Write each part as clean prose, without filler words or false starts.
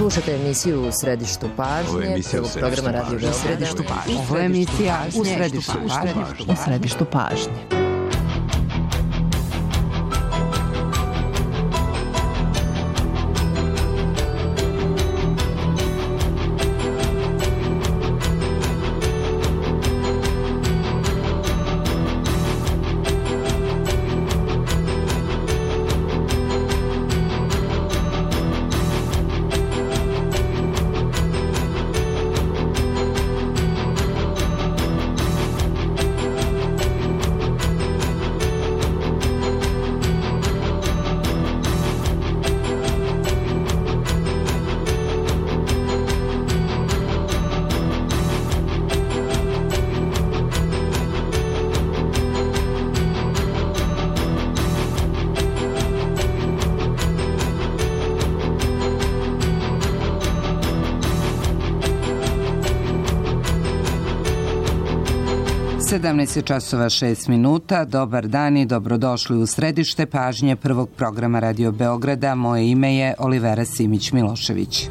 Slušate emisiju U središtu pažnje, prvog programa Radio Beograda. Ovo je emisija U središtu pažnje. časova 6 minuta. Dobar dan i dobrodošli u središte pažnje prvog programa Radio Beograda. Moje ime je Olivera Simić-Milošević.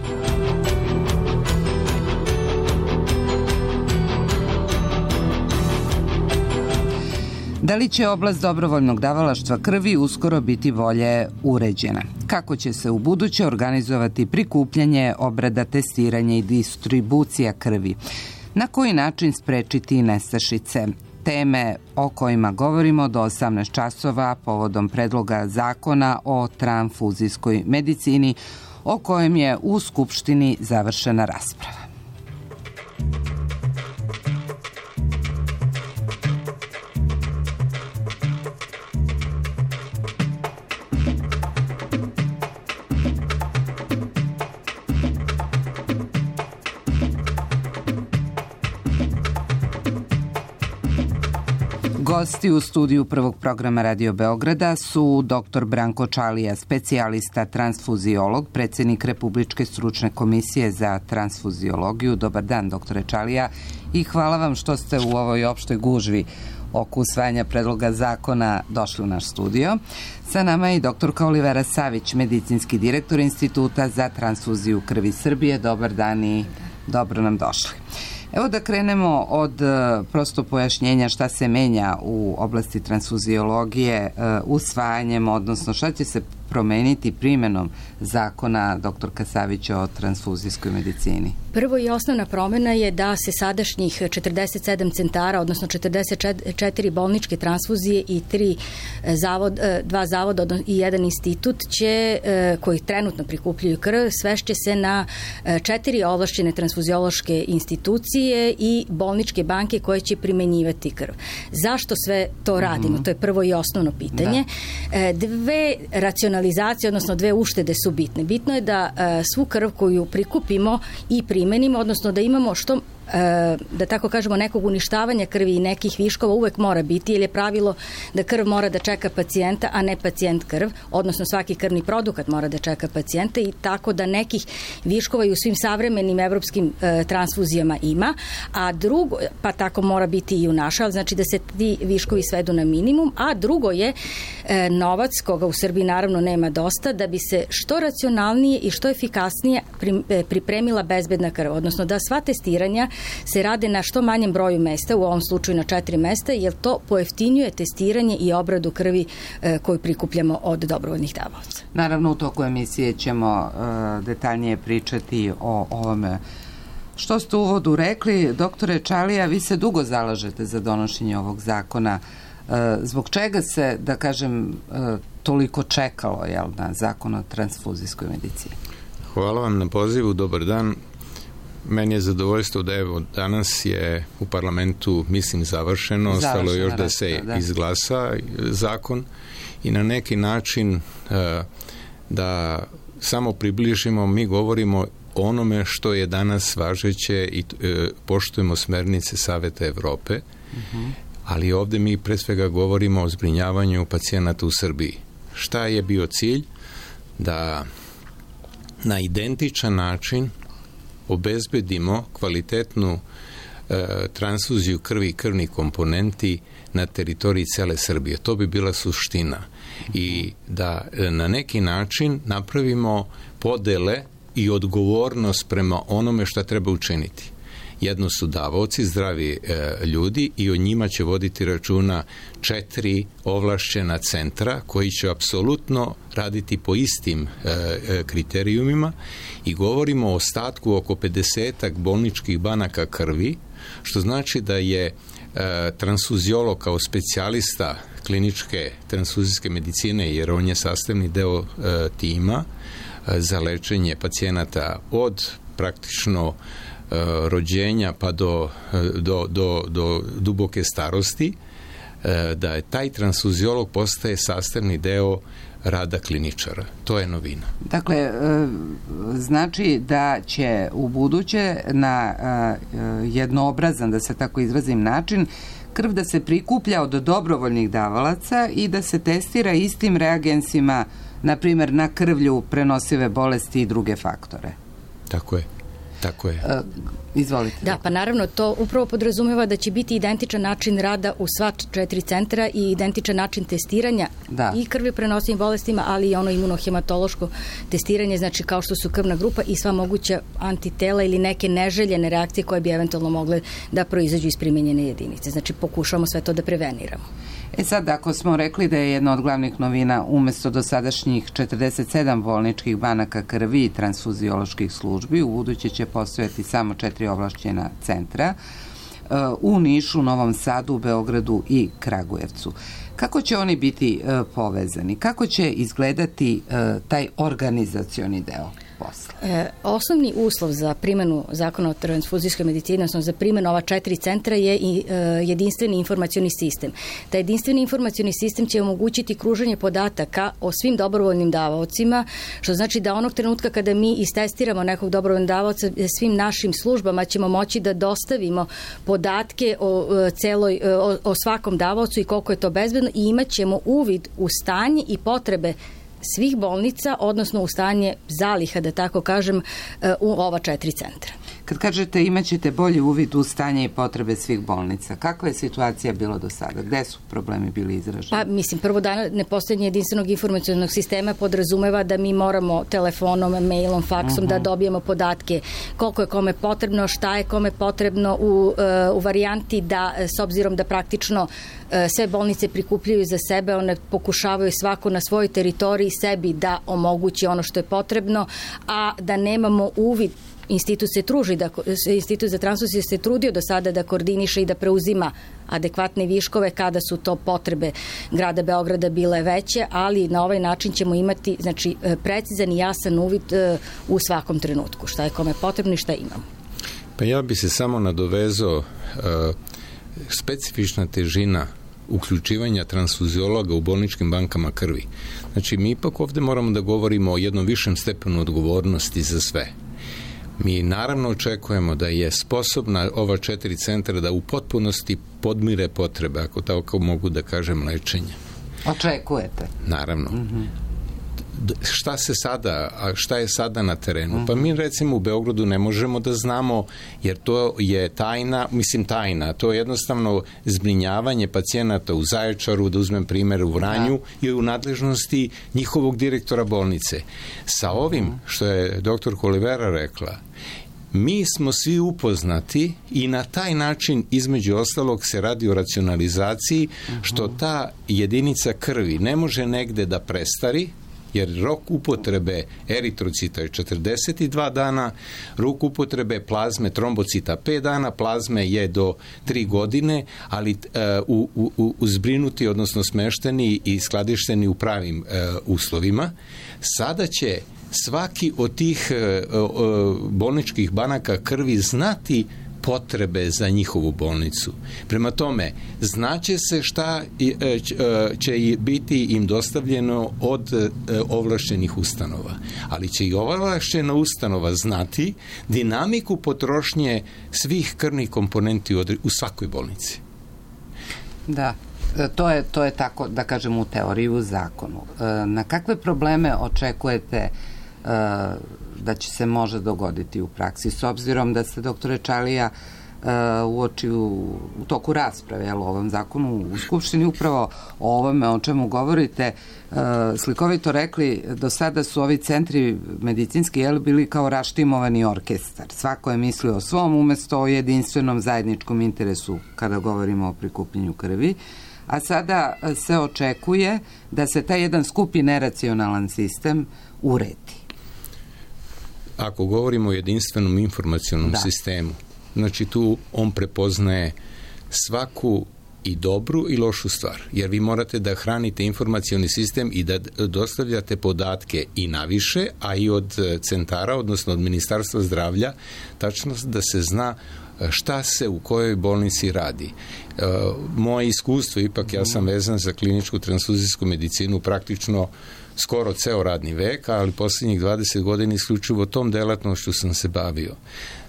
Da li će oblast dobrovoljnog davalaštva krvi uskoro biti bolje uređena? Kako će se u buduće organizovati prikupljanje, obrada, testiranje i distribucija krvi? Na koji način sprečiti nestašice? Teme o kojima govorimo do 18 časova povodom predloga zakona o transfuzijskoj medicini, o kojem je u Skupštini završena rasprava. Gosti u studiju prvog programa Radio Beograda su dr. Branko Čalija, specijalista transfuziolog, predsjednik Republičke stručne komisije za transfuziologiju. Dobar dan, doktore Čalija, i hvala vam što ste u ovoj opštoj gužvi oko usvajanja predloga zakona došli u naš studio. Sa nama je i doktorka Olivera Savić, medicinski direktor Instituta za transfuziju krvi Srbije. Dobar dan i dobro nam došli. Evo da krenemo od prosto pojašnjenja šta se menja u oblasti transfuziologije usvajanjem, odnosno šta će se promeniti primjenom zakona doktorka Savić o transfuzijskoj medicini. Prvo i osnovna promjena je da se sadašnjih 47 centara, odnosno 44 bolničke transfuzije i 2 zavoda i jedan institut koji trenutno prikupljaju krv, svešće se na 4 ovlašćene transfuziološke institucije i bolničke banke koje će primenjivati krv. Zašto sve to radimo? To je prvo i osnovno pitanje. Dve racionalizacije, odnosno dve uštede su bitne. Bitno je da svu krv koju prikupimo i primenimo, odnosno da imamo što, da tako kažemo, nekog uništavanja krvi i nekih viškova uvek mora biti, jer je pravilo da krv mora da čeka pacijenta, a ne pacijent krv, odnosno svaki krvni produkt mora da čeka pacijenta, i tako da nekih viškova i u svim savremenim evropskim transfuzijama ima, a drugo, pa tako mora biti i u našoj, ali znači da se ti viškovi svedu na minimum, a drugo je novac, koga u Srbiji naravno nema dosta, da bi se što racionalnije i što efikasnije pripremila bezbedna krv, odnosno da sva testiranja se rade na što manjem broju mesta, u ovom slučaju na 4 mesta, jer to pojeftinjuje testiranje i obradu krvi koju prikupljamo od dobrovoljnih davaoca. Naravno, u toku emisije ćemo detaljnije pričati o ovome. Što ste u uvodu rekli, doktore Čalija, vi se dugo zalažete za donošenje ovog zakona. Zbog čega se, da kažem, toliko čekalo na zakon o transfuzijskoj medicini? Hvala vam na pozivu, dobar dan. Meni je zadovoljstvo da evo danas je u parlamentu, mislim, završeno, ostalo još da se izglasa zakon i na neki način da samo približimo, mi govorimo o onome što je danas važeće i poštujemo smernice Saveta Evrope, ali ovdje mi pre svega govorimo o zbrinjavanju pacijenata u Srbiji. Šta je bio cilj? Da na identičan način obezbedimo kvalitetnu transfuziju krvi i krvnih komponenti na teritoriji cele Srbije. To bi bila suština. I da na neki način napravimo podele i odgovornost prema onome šta treba učiniti. Jedno su davaoci, zdravi ljudi, i o njima će voditi računa 4 ovlašćena centra koji će apsolutno raditi po istim kriterijumima, i govorimo o ostatku oko 50 bolničkih banaka krvi, što znači da je transfuziolog kao specijalista kliničke transfuzijske medicine, jer on je sastavni deo tima za lečenje pacijenata od praktično rođenja pa do duboke starosti, da je taj transfuziolog postaje sastavni deo rada kliničara. To je novina. Dakle, znači da će u buduće na jednoobrazan, da se tako izrazim, način krv da se prikuplja od dobrovoljnih davalaca i da se testira istim reagensima, na primjer na krvlju, prenosive bolesti i druge faktore. Tako je. Tako je. Izvolite. Da, pa naravno to upravo podrazumeva da će biti identičan način rada u sva 4 centra i identičan način testiranja i krvi prenosivim bolestima, ali i ono imunohematološko testiranje, znači kao što su krvna grupa i sva moguća antitela ili neke neželjene reakcije koje bi eventualno mogle da proizađu iz primenjene jedinice. Znači pokušamo sve to da preveniramo. Sad, ako smo rekli da je jedna od glavnih novina umesto dosadašnjih 47 bolničkih banaka krvi i transfuzioloških službi, u buduće će postojati samo 4 ovlašćena centra u Nišu, Novom Sadu, Beogradu i Kragujevcu. Kako će oni biti povezani? Kako će izgledati taj organizacioni deo posla? Osnovni uslov za primjenu zakona o transfuzijskoj medicini, odnosno za primjenu ova 4 centra, je i jedinstveni informacioni sistem. Taj jedinstveni informacioni sistem će omogućiti kruženje podataka o svim dobrovoljnim davaocima, što znači da onog trenutka kada mi istestiramo nekog dobrovoljnog davaoca, svim našim službama ćemo moći da dostavimo podatke o svakom davaocu i koliko je to bezbedno, i imat ćemo uvid u stanje i potrebe svih bolnica, odnosno u stanje zaliha, da tako kažem, u ova 4 centra. Kad kažete imaćete bolji uvid u stanje i potrebe svih bolnica, kakva je situacija bila do sada? Gde su problemi bili izraženi? Pa, mislim, prvo dana nepostojanje jedinstvenog informacionog sistema podrazumeva da mi moramo telefonom, mailom, faksom da dobijemo podatke koliko je kome potrebno, šta je kome potrebno u varijanti da, s obzirom da praktično sve bolnice prikupljaju za sebe, one pokušavaju svako na svojoj teritoriji sebi da omogući ono što je potrebno, a da nemamo uvid. Institut za transfuziju se trudio do sada da koordiniše i da preuzima adekvatne viškove kada su to potrebe grada Beograda bile veće, ali na ovaj način ćemo imati, znači, precizan i jasan uvid u svakom trenutku, šta je kome potrebno i šta imamo. Pa ja bi se samo nadovezao, specifična težina uključivanja transfuziologa u bolničkim bankama krvi. Znači, mi ipak ovde moramo da govorimo o jednom višem stepenu odgovornosti za sve. Mi naravno očekujemo da je sposobna ova 4 centra da u potpunosti podmire potrebe, ako tako mogu da kažem, lečenja. Očekujete? Naravno. Šta je sada na terenu? Pa mi recimo u Beogradu ne možemo da znamo, jer to je tajna, to je jednostavno zbrinjavanje pacijenata u Zaječaru, da uzmem primjer u Vranju, i u nadležnosti njihovog direktora bolnice. Sa ovim što je doktor Olivera rekla, mi smo svi upoznati i na taj način, između ostalog, se radi o racionalizaciji, što ta jedinica krvi ne može negde da prestari, jer rok upotrebe eritrocita je 42 dana, rok upotrebe plazme trombocita 5 dana, plazme je do 3 godine, ali zbrinuti, odnosno smešteni i skladišteni u pravim uslovima. Sada će svaki od tih bolničkih banaka krvi znati potrebe za njihovu bolnicu. Prema tome, znaće se šta će biti im dostavljeno od ovlašćenih ustanova. Ali će i ovlašćena ustanova znati dinamiku potrošnje svih krvnih komponenti u svakoj bolnici. Da. To je tako, da kažem, u teoriji, u zakonu. Na kakve probleme očekujete da će se može dogoditi u praksi, s obzirom da ste, doktore Čalija, u toku rasprave o ovom zakonu u Skupštini, upravo o ovome o čemu govorite, slikovito rekli, do sada su ovi centri medicinski bili kao raštimovani orkestar. Svako je mislio o svom umesto o jedinstvenom zajedničkom interesu kada govorimo o prikupljenju krvi, a sada se očekuje da se taj jedan skupi neracionalan sistem uredi. Ako govorimo o jedinstvenom informacionom sistemu, znači tu on prepoznaje svaku i dobru i lošu stvar, jer vi morate da hranite informacioni sistem i da dostavljate podatke i naviše, a i od centara, odnosno od Ministarstva zdravlja, tačno da se zna šta se u kojoj bolnici radi. Moje iskustvo, ipak ja sam vezan za kliničku transfuzijsku medicinu praktično skoro ceo radni vek, ali posljednjih 20 godina isključivo tom delatnošću sam se bavio.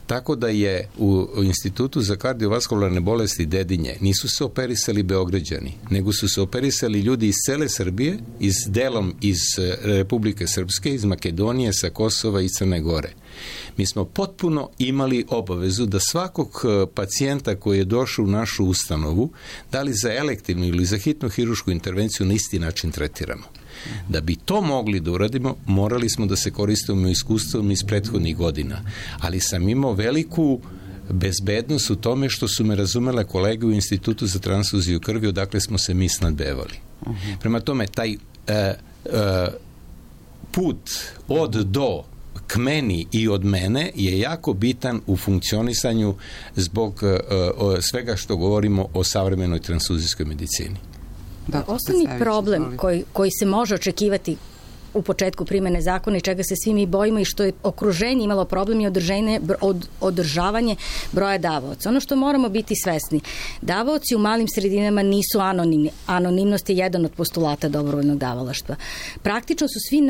Tako da je u Institutu za kardiovaskularne bolesti Dedinje nisu se operisali Beograđani, nego su se operisali ljudi iz cele Srbije, delom iz Republike Srpske, iz Makedonije, sa Kosova i Crne Gore. Mi smo potpuno imali obavezu da svakog pacijenta koji je došao u našu ustanovu, da li za elektivnu ili za hitnu hirušku intervenciju, na isti način tretiramo. Da bi to mogli da uradimo, morali smo da se koristimo iskustvom iz prethodnih godina. Ali sam imao veliku bezbednost u tome što su me razumele kolege u Institutu za transfuziju krvi, odakle smo se mi snadbevali. Prema tome, taj put od do k meni i od mene je jako bitan u funkcionisanju zbog svega što govorimo o savremenoj transfuzijskoj medicini. Osnovni problem koji se može očekivati u početku primene zakona i čega se svi mi bojimo i što je okruženje imalo problem je održavanje broja davaoca. Ono što moramo biti svesni, davaoci u malim sredinama nisu anonimni. Anonimnost je jedan od postulata dobrovoljnog davalaštva. Praktično su svi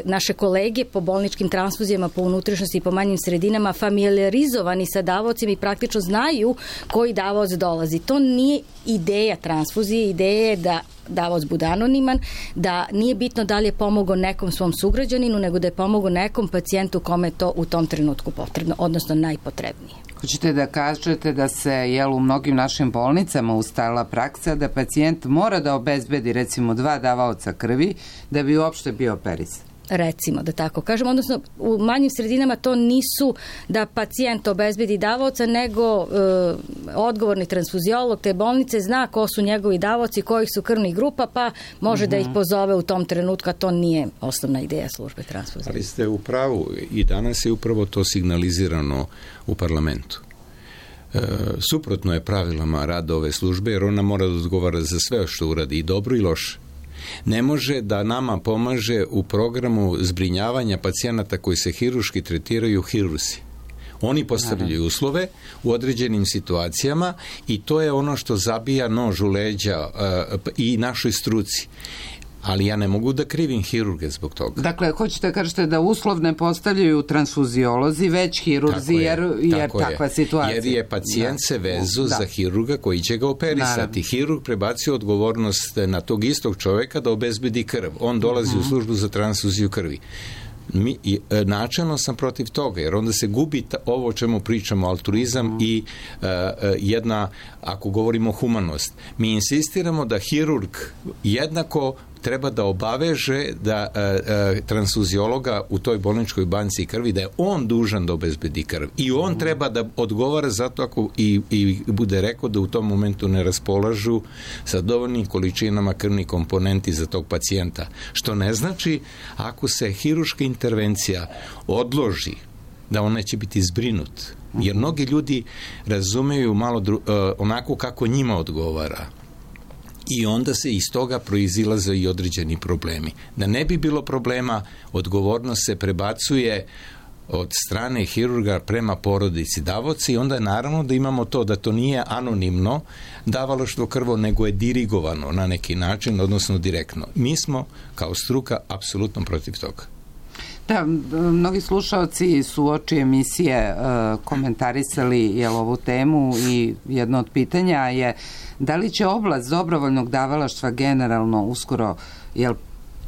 naše kolege po bolničkim transfuzijama, po unutrašnjosti i po manjim sredinama familijarizovani sa davaocima i praktično znaju koji davaoc dolazi. To nije ideja transfuzije, ideja je da davaoc bude anoniman, da nije bitno da li je pomogao nekom svom sugrađaninu, nego da je pomogao nekom pacijentu kome je to u tom trenutku potrebno, odnosno najpotrebnije. Hoćete da kažete da se u mnogim našim bolnicama ustalila praksa da pacijent mora da obezbedi recimo 2 davaoca krvi da bi uopšte bio operisan? Recimo, da tako kažem, odnosno u manjim sredinama to nisu da pacijent obezbedi davaoca, nego odgovorni transfuziolog te bolnice zna ko su njegovi davaoci, kojih su krvnih grupa, pa može da ih pozove u tom trenutku, a to nije osnovna ideja službe transfuzije. Ali ste u pravu, i danas je upravo to signalizirano u parlamentu. Suprotno je pravilama rada ove službe, jer ona mora da odgovara za sve što uradi, i dobro i loše. Ne može da nama pomaže u programu zbrinjavanja pacijenata koji se hiruški tretiraju hirurzi. Oni postavljaju uslove u određenim situacijama i to je ono što zabija nož u leđa i našoj struci. Ali ja ne mogu da krivim hirurge zbog toga. Dakle, hoćete da kažete da uslov ne postavljaju transfuziolozi, već hirurzi, jer takva situacija. Jer je pacijent se vezu za hirurga koji će ga operisati. Naravno. Hirurg prebacio odgovornost na tog istog čoveka da obezbedi krv. On dolazi u službu za transfuziju krvi. Načelno sam protiv toga, jer onda se gubi ovo o čemu pričamo, altruizam i jedna, ako govorimo humanost. Mi insistiramo da hirurg jednako treba da obaveže da transfuziologa u toj bolničkoj banci krvi, da je on dužan da obezbedi krv. I on treba da odgovara zato ako i bude rekao da u tom momentu ne raspolažu sa dovoljnim količinama krvnih komponenti za tog pacijenta. Što ne znači, ako se hiruška intervencija odloži, da on neće biti zbrinut. Jer mnogi ljudi razumeju malo onako kako njima odgovara. I onda se iz toga proizilaze i određeni problemi. Da ne bi bilo problema, odgovornost se prebacuje od strane hirurga prema porodici davaoca i onda je naravno da imamo to da to nije anonimno davalaštvo krvo, nego je dirigovano na neki način, odnosno direktno. Mi smo kao struka apsolutno protiv toga. Da, mnogi slušaoci su uoči emisije komentarisali ovu temu i jedno od pitanja je da li će oblast dobrovoljnog davalaštva generalno uskoro,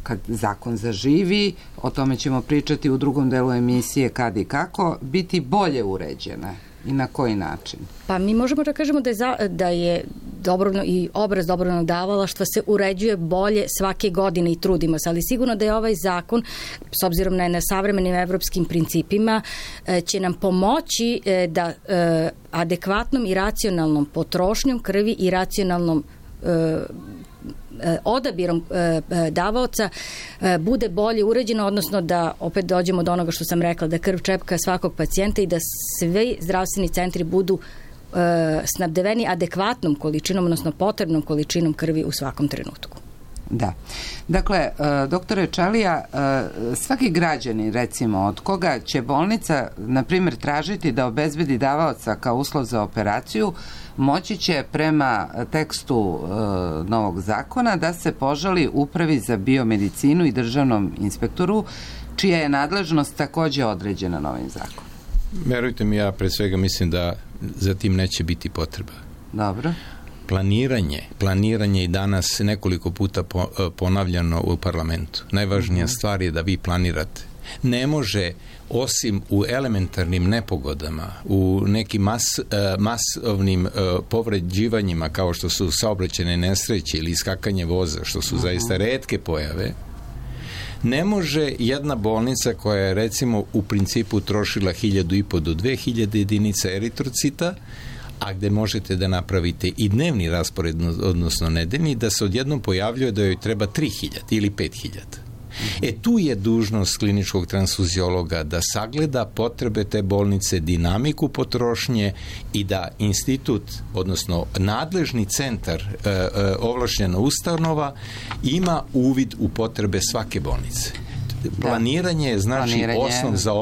kad zakon zaživi, o tome ćemo pričati u drugom delu emisije kad i kako, biti bolje uređena? I na koji način? Pa mi možemo da kažemo da je i obraz dobrovoljnog davalaštva se uređuje bolje svake godine i trudimo se, ali sigurno da je ovaj zakon, s obzirom na savremenim evropskim principima, će nam pomoći da adekvatnom i racionalnom potrošnjom krvi i racionalnom odabirom davaoca bude bolje uređeno, odnosno da opet dođemo do onoga što sam rekla, da krv čepka svakog pacijenta i da svi zdravstveni centri budu snabdeveni adekvatnom količinom, odnosno potrebnom količinom krvi u svakom trenutku. Da. Dakle, doktore Čalija, svaki građanin, recimo, od koga će bolnica, na primjer, tražiti da obezbedi davaoca kao uslov za operaciju, moći će prema tekstu novog zakona da se požali Upravi za biomedicinu i državnom inspektoru, čija je nadležnost takođe određena novim zakonom. Verujte mi, ja pre svega mislim da za tim neće biti potreba. Dobro. Planiranje i danas nekoliko puta ponavljano u parlamentu. Najvažnija stvar je da vi planirate. Ne može, osim u elementarnim nepogodama, u nekim masovnim povređivanjima kao što su saobraćajne nesreće ili iskakanje voza, što su zaista retke pojave, ne može jedna bolnica koja je recimo u principu trošila 1.500 do 2.000 jedinica eritrocita, a gde možete da napravite i dnevni raspored, odnosno nedeljni, da se odjednom pojavljuje da joj treba 3.000 ili 5.000. Tu je dužnost kliničkog transfuziologa da sagleda potrebe te bolnice, dinamiku potrošnje i da institut, odnosno nadležni centar, ovlašćena ustanova, ima uvid u potrebe svake bolnice. Planiranje je znači osnov za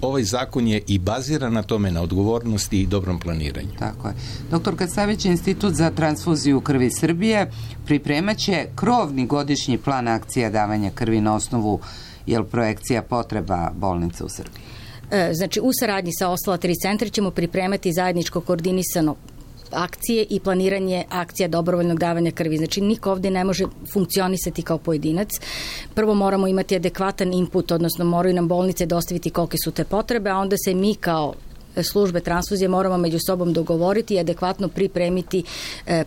ovaj zakon je i baziran na tome, na odgovornosti i dobrom planiranju. Tako je. Doktor Kasavić, Institut za transfuziju krvi Srbije pripremaće krovni godišnji plan akcija davanja krvi na osnovu projekcija potreba bolnica u Srbiji. Znači, u saradnji sa ostala 3 centra ćemo pripremati zajedničko koordinisano akcije i planiranje akcija dobrovoljnog davanja krvi. Znači, niko ovde ne može funkcionisati kao pojedinac. Prvo moramo imati adekvatan input, odnosno moraju nam bolnice dostaviti kolike su te potrebe, a onda se mi kao službe transfuzije moramo među sobom dogovoriti i adekvatno pripremiti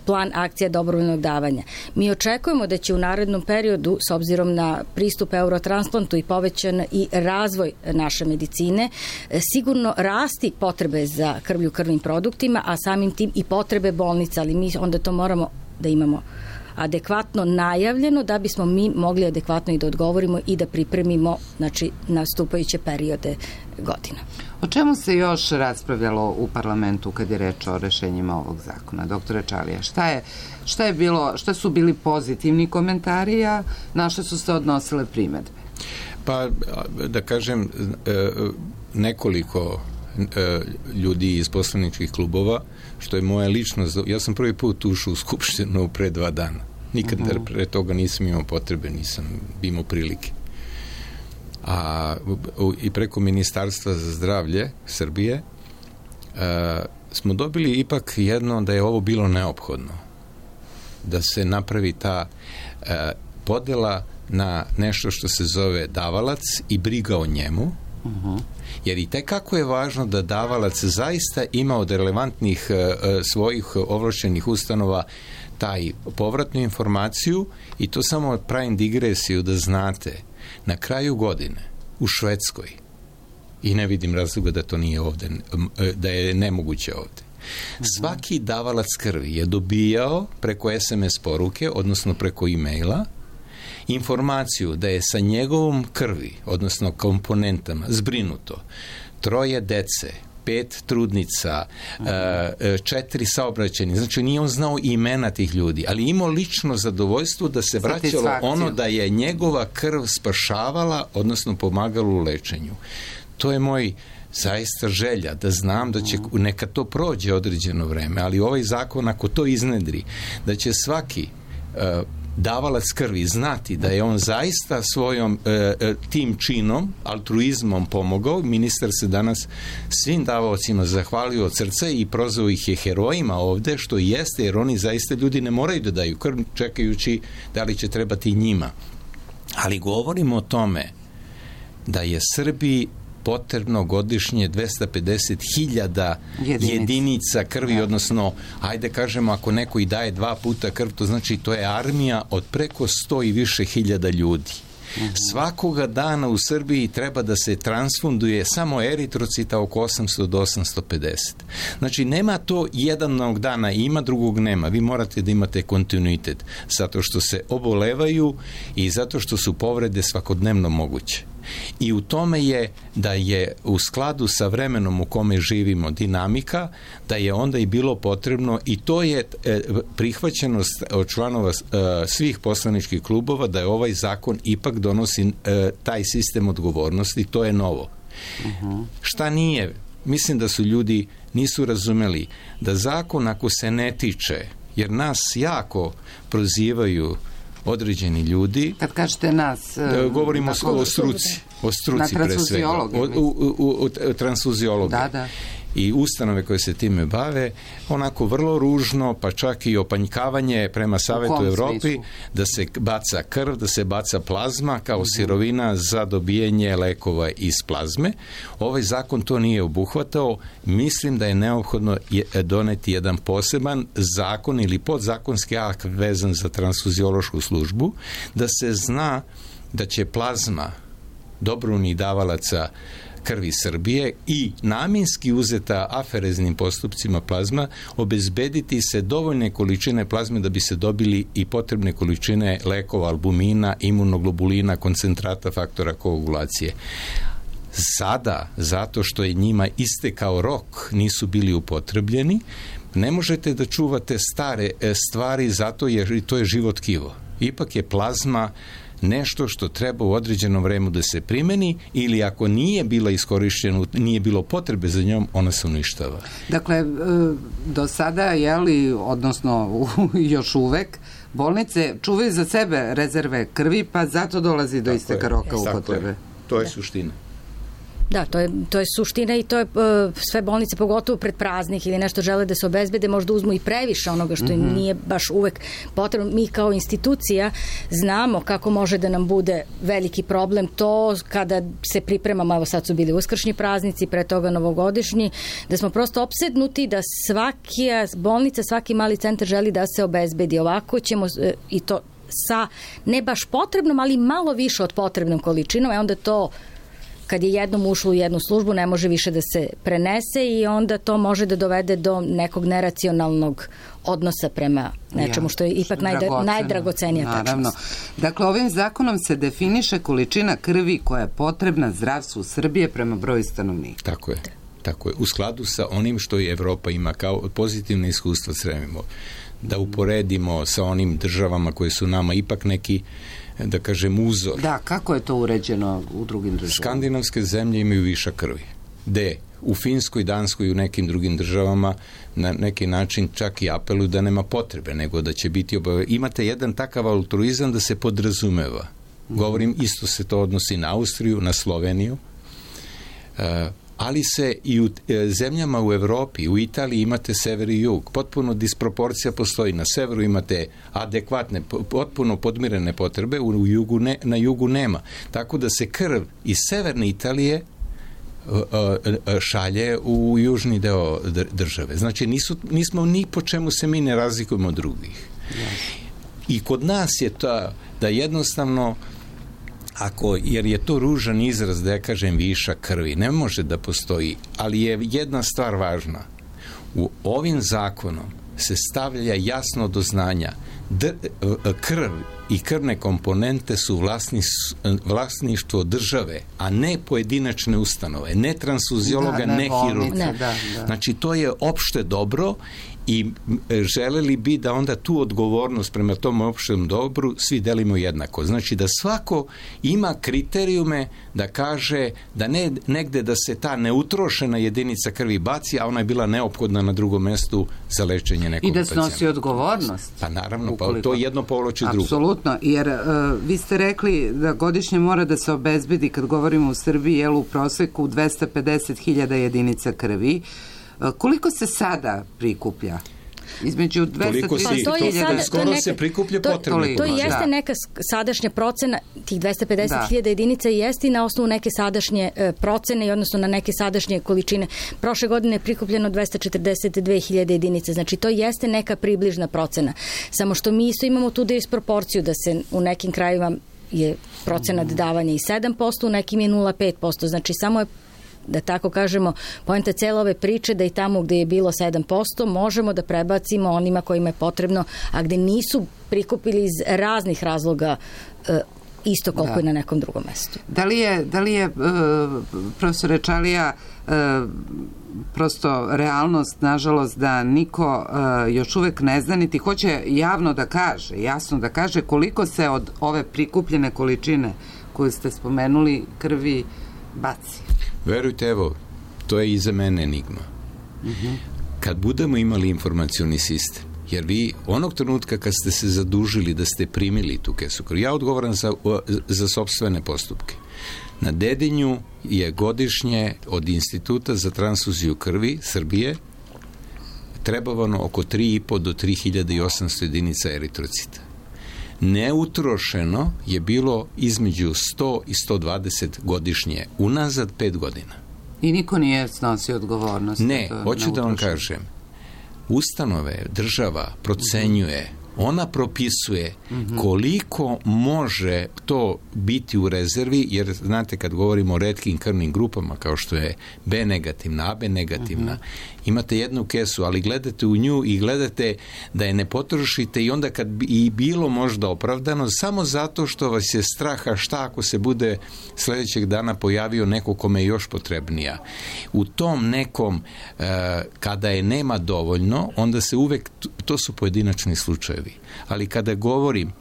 plan akcija dobrovoljnog davanja. Mi očekujemo da će u narednom periodu, s obzirom na pristup eurotransplantu i povećan i razvoj naše medicine, sigurno rasti potrebe za krvlju krvnim produktima, a samim tim i potrebe bolnica, ali mi onda to moramo da imamo adekvatno najavljeno da bismo mi mogli adekvatno i da odgovorimo i da pripremimo, znači, nastupajuće periode godina. O čemu se još raspravljalo u parlamentu kad je reč o rešenjima ovog zakona? Doktore Čalija, šta su bili pozitivni komentari, a na što su se odnosile primedbe? Pa, da kažem, nekoliko ljudi iz poslaničkih klubova, što je moja ličnost, ja sam prvi put ušao u Skupštinu pre 2 dana. Nikad pre toga nisam imao potrebe, nisam imao prilike. I preko Ministarstva za zdravlje Srbije smo dobili ipak jedno da je ovo bilo neophodno. Da se napravi ta podela na nešto što se zove davalac i briga o njemu, jer i tekako je važno da davalac zaista ima od relevantnih svojih ovlašćenih ustanova taj povratnu informaciju, i to samo pravim digresiju da znate, na kraju godine u Švedskoj, i ne vidim razloga da to nije ovde, da je nemoguće ovde, svaki davalac krvi je dobijao preko SMS poruke, odnosno preko e-maila, informaciju da je sa njegovom krvi, odnosno komponentama, zbrinuto 3 dece, 5 trudnica, 4 saobraćajni. Znači, nije on znao imena tih ljudi, ali imao lično zadovoljstvo da se vraćalo ono da je njegova krv spašavala, odnosno pomagala u lečenju. To je moj zaista želja, da znam da će, neka to prođe određeno vreme, ali ovaj zakon, ako to iznedri, da će svaki davalac krvi znati da je on zaista svojom tim činom, altruizmom pomogao. Ministar se danas svim davaocima zahvalio od srca i prozvao ih je herojima ovde, što i jeste, jer oni zaista, ljudi ne moraju da daju krv čekajući da li će trebati njima. Ali govorimo o tome da je Srbiji potrebno godišnje 250.000 jedinica krvi, odnosno, ajde kažemo, ako neko i daje 2 puta krv, to znači to je armija od preko 100 i više hiljada ljudi. Svakoga dana u Srbiji treba da se transfunduje samo eritrocita oko 800 do 850. Znači, nema to jednog dana ima, drugog nema. Vi morate da imate kontinuitet, zato što se obolevaju i zato što su povrede svakodnevno moguće. I u tome je da je u skladu sa vremenom u kome živimo dinamika, da je onda i bilo potrebno, i to je prihvaćenost od članova svih poslaničkih klubova, da je ovaj zakon ipak donosi taj sistem odgovornosti, to je novo. Šta nije? Mislim da su ljudi nisu razumeli da zakon, ako se ne tiče, jer nas jako prozivaju određeni ljudi. Kad kažete nas... Govorimo o struci. O struci pre svega. O transfuziologu. Da. I ustanove koje se time bave, onako vrlo ružno, pa čak i opanjkavanje prema Savetu Evropi, da se baca krv, da se baca plazma kao sirovina za dobijanje lekova iz plazme. Ovaj zakon to nije obuhvatao. Mislim da je neophodno doneti jedan poseban zakon ili podzakonski akt vezan za transfuziološku službu, da se zna da će plazma dobrovoljnih davalaca krvi Srbije i namjenski uzeta afereznim postupcima plazma obezbediti se dovoljne količine plazme da bi se dobili i potrebne količine lekova, albumina, imunoglobulina, koncentrata faktora koagulacije. Sada, zato što je njima istekao rok, nisu bili upotrebljeni, ne možete da čuvate stare stvari zato jer to je živo tkivo. Ipak je plazma nešto što treba u određenom vremenu da se primeni, ili ako nije bila iskorišćena, nije bilo potrebe za njom, ona se uništava. Dakle, do sada, odnosno još uvek, bolnice čuvaju za sebe rezerve krvi, pa zato dolazi do isteka roka upotrebe. To je suština. Da, to je suština i to je sve bolnice, pogotovo pred praznik ili nešto žele da se obezbede, možda uzmu i previše onoga što im nije baš uvek potrebno. Mi kao institucija znamo kako može da nam bude veliki problem to kada se pripremamo, evo sad su bili uskršnji praznici, pre toga novogodišnji, da smo prosto opsednuti da svaka bolnica, svaki mali centar želi da se obezbedi. Ovako ćemo i to sa ne baš potrebnom, ali malo više od potrebnom količinom, onda to kad je jednom ušlo u jednu službu, ne može više da se prenese i onda to može da dovede do nekog neracionalnog odnosa prema nečemu što je ipak najdragocenija tačnost. Naravno. Dakle, ovim zakonom se definiše količina krvi koja je potrebna zdravstvu Srbije prema broju stanovnika. Tako je. U skladu sa onim što i Evropa ima kao pozitivne iskustva sremimo. Da uporedimo sa onim državama koje su nama ipak neki, da kažem, uzor. Da, kako je to uređeno u drugim državama? Skandinavske zemlje imaju višak krvi. U Finskoj, Danskoj i u nekim drugim državama na neki način čak i apeluju da nema potrebe, nego da će biti imate jedan takav altruizam da se podrazumeva. Govorim, isto se to odnosi na Austriju, na Sloveniju, ali se i u zemljama u Evropi, u Italiji imate sever i jug. Potpuno disproporcija postoji. Na severu imate adekvatne, potpuno podmirene potrebe, na jugu nema. Tako da se krv iz severne Italije šalje u južni deo države. Znači, nismo ni po čemu se mi ne razlikujemo od drugih. I kod nas je to da jednostavno jer je to ružan izraz da ja kažem višak krvi, ne može da postoji, ali je jedna stvar važna. U ovim zakonom se stavlja jasno do znanja krv i krvne komponente su vlasništvo države, a ne pojedinačne ustanove, ne transfuziologa, ne hirurga. Znači, to je opšte dobro i želeli bi da onda tu odgovornost prema tom opštem dobru svi delimo jednako. Znači da svako ima kriterijume da kaže da ne negde da se ta neutrošena jedinica krvi baci, a ona je bila neophodna na drugom mestu za lečenje nekog pacijenta. I da snosi odgovornost. Pa naravno, to jedno povlači drugo. Apsolutno, jer vi ste rekli da godišnje mora da se obezbedi, kad govorimo u Srbiji, u proseku 250.000 jedinica krvi. Koliko se sada prikuplja? Između 230.000. Skoro se prikuplja potrebno. To jeste neka sadašnja procena, tih 250.000 jedinica jeste i na osnovu neke sadašnje procene i odnosno na neke sadašnje količine. Prošle godine je prikupljeno 242.000 jedinica, znači to jeste neka približna procena. Samo što mi isto imamo tu disproporciju da se u nekim krajevima je procenat davanja i 7%, u nekim je 0,5%. Znači samo je, da tako kažemo, poenta cele ove priče da i tamo gde je bilo 7% možemo da prebacimo onima kojima je potrebno, a gde nisu prikupili iz raznih razloga isto koliko je na nekom drugom mestu. Da li je profesore Čalija, prosto realnost, nažalost, da niko još uvek ne zna, niti hoće javno da kaže, jasno da kaže koliko se od ove prikupljene količine koju ste spomenuli krvi baci? Verujte, evo, to je i za mene enigma. Kad budemo imali informacioni sistem, jer vi onog trenutka kad ste se zadužili da ste primili tu kesu krvi, ja odgovaram za sopstvene postupke. Na Dedinju je godišnje od Instituta za transfuziju krvi Srbije trebavano oko 3.500 do 3.800 jedinica eritrocita. Neutrošeno je bilo između 100 i 120 godišnje, unazad 5 godina. I niko nije snosio odgovornost? Ne, hoću da vam kažem. Ustanove, država procenjuje, ona propisuje koliko može to biti u rezervi, jer znate kad govorimo o retkim krvnim grupama kao što je B negativna, AB negativna, imate jednu kesu, ali gledate u nju i gledate da je ne potrošite i onda kad bi i bilo možda opravdano, samo zato što vas je straha šta ako se bude sledećeg dana pojavio neko kome je još potrebnija. U tom nekom, kada je nema dovoljno, onda se uvek, to su pojedinačni slučajevi, ali kada govorim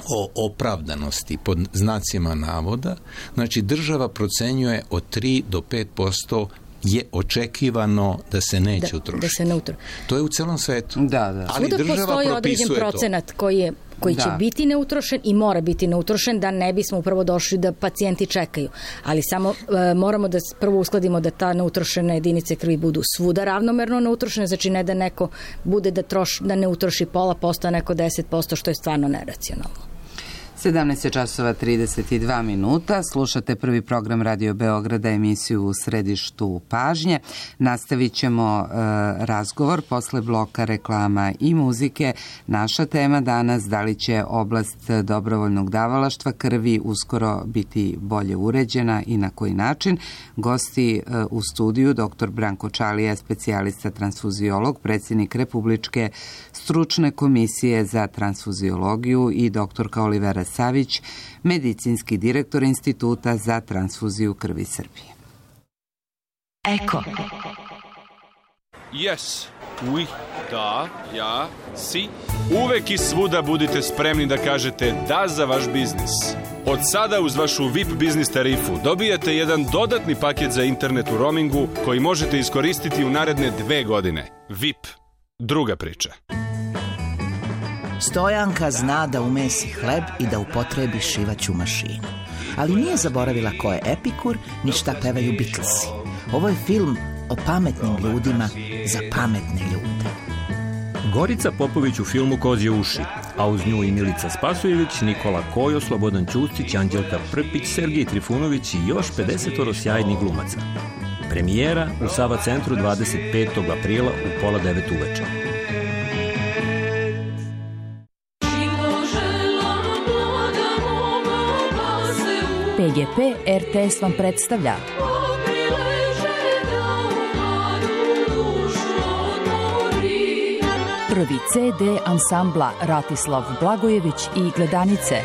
o opravdanosti pod znacima navoda, znači država procenjuje od 3 do 5% je očekivano da se neće utrošiti. Da se ne utroši. To je u celom svetu. Da. Ali svuda država postoji određen propisuje procenat koji će biti neutrošen i mora biti neutrošen da ne bismo upravo došli da pacijenti čekaju. Ali samo moramo da prvo uskladimo da ta neutrošene jedinice krvi budu svuda ravnomerno neutrošene, znači ne da neko bude da ne utroši 0,5%, a neko 10%, što je stvarno neracionalno. 17:32. Slušate prvi program Radio Beograda, emisiju U središtu pažnje. Nastavit ćemo razgovor posle bloka reklama i muzike. Naša tema danas, da li će oblast dobrovoljnog davalaštva krvi uskoro biti bolje uređena i na koji način. Gosti u studiju dr. Branko Čalija, specijalista transfuziolog, predsjednik Republičke stručne komisije za transfuziologiju, i dr. Olivera Savić, medicinski direktor Instituta za transfuziju krvi Srbije. Eko. Yes, oui, da, ja, si. Uvek i svuda budite spremni da kažete da za vaš biznis. Od sada uz vašu VIP biznis tarifu dobijate jedan dodatni paket za internet u roamingu koji možete iskoristiti u naredne 2 godine. VIP. Druga priča. Stojanka zna da umesi hleb i da upotrebi šivaću mašinu. Ali nije zaboravila ko je Epikur, ni šta pevaju Beatlesi. Ovo je film o pametnim ljudima za pametne ljude. Gorica Popović u filmu Kozje uši, a uz nju i Milica Spasojević, Nikola Kojo, Slobodan Ćustić, Anđelka Prpić, Sergij Trifunović i još 50 sjajnih glumaca. Premijera u Sava centru 25. aprila u 8:30 uveče. PGP RTS vam predstavlja prvi CD ansambla Ratislav Blagojević i Gledanice.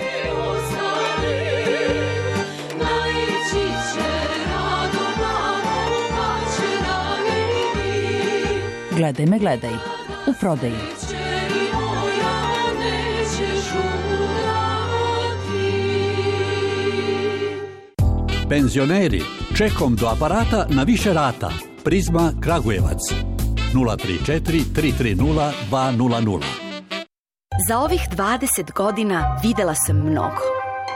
Gledaj me, gledaj. U prodaji. Penzioneri, čekom do aparata na više rata. Prizma Kragujevac. 034 330 200. Za ovih 20 godina videla sam mnogo.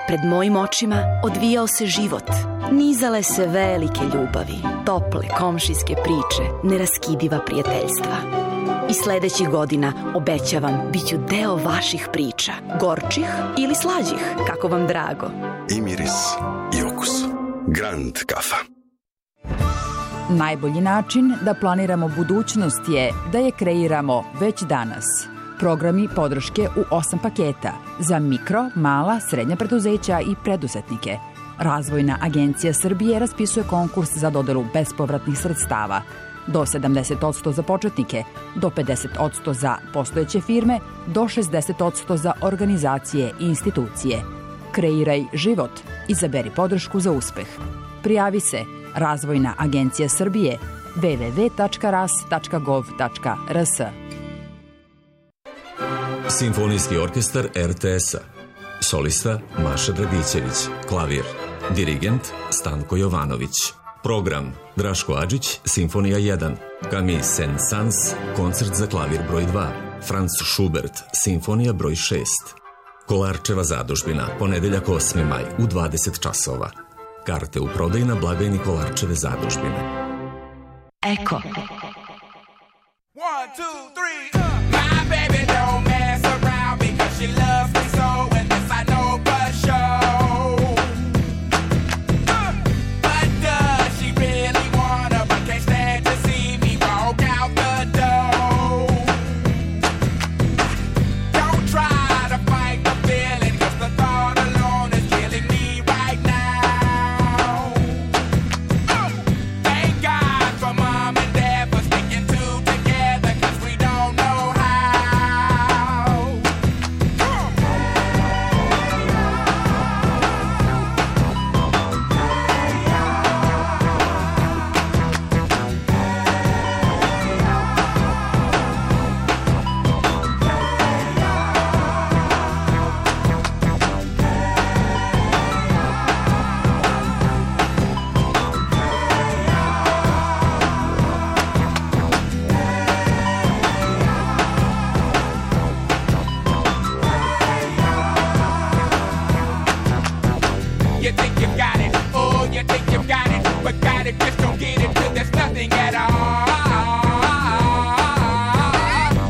Pred mojim očima odvijao se život. Nizale se velike ljubavi, tople komšijske priče, neraskidiva prijateljstva. I sledećih godina, obećavam, bit ću deo vaših priča. Gorčih ili slađih, kako vam drago. I miris, i okus. Grand kafa. Najbolji način da planiramo budućnost je da je kreiramo već danas. Programi podrške u 8 paketa za mikro, mala, srednja preduzeća i preduzetnike. Razvojna agencija Srbije raspisuje konkurs za dodelu bespovratnih sredstava. Do 70% za početnike, do 50% za postojeće firme, do 60% za organizacije i institucije. Kreiraj život. Izaberi podršku za uspeh. Prijavi se Razvojna agencija Srbije www.ras.gov.rs. Simfonijski orkestar RTS-a. Solista Maša Dragićević. Klavir. Dirigent Stanko Jovanović. Program Draško Adžić, Simfonija 1. Camille Saint-Saëns, koncert za klavir broj 2. Franz Schubert, Simfonija broj 6. Kolarčeva zadužbina, ponedeljak 8. maj u 20 časova. Karte u prodaju na blagajni Kolarčeve zadužbine. Eko. 1, 2, 3, My baby don't mess around because she loves me so, and this I know for sure. But does she really wanna, but can't stand to see me walk out the door? Don't try to fight the feeling, cause the thought alone is killing me right now. Thank God for mom and dad for sticking two together, cause we don't know how. You think you got it, oh, you think you got it, but got it, just don't get it till there's nothing at all.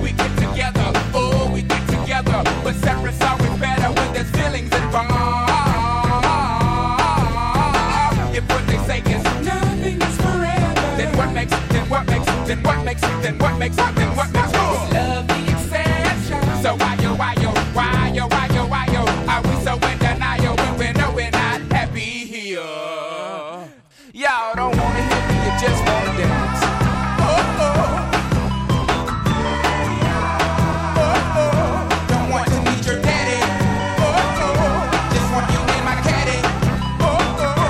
We get together, oh, we get together, but separate's always better when there's feelings involved. If what they say is nothing is forever, then what makes it, then what makes it, then what makes it, then what makes it, then what makes it? Love the exception. So why yo, are we so in denial when we know we're not happy here? Y'all don't wanna hear me, you just wanna dance. Oh, oh. Oh, oh. Don't want to meet your daddy. Oh, oh. Just want you in my caddy. Oh, oh.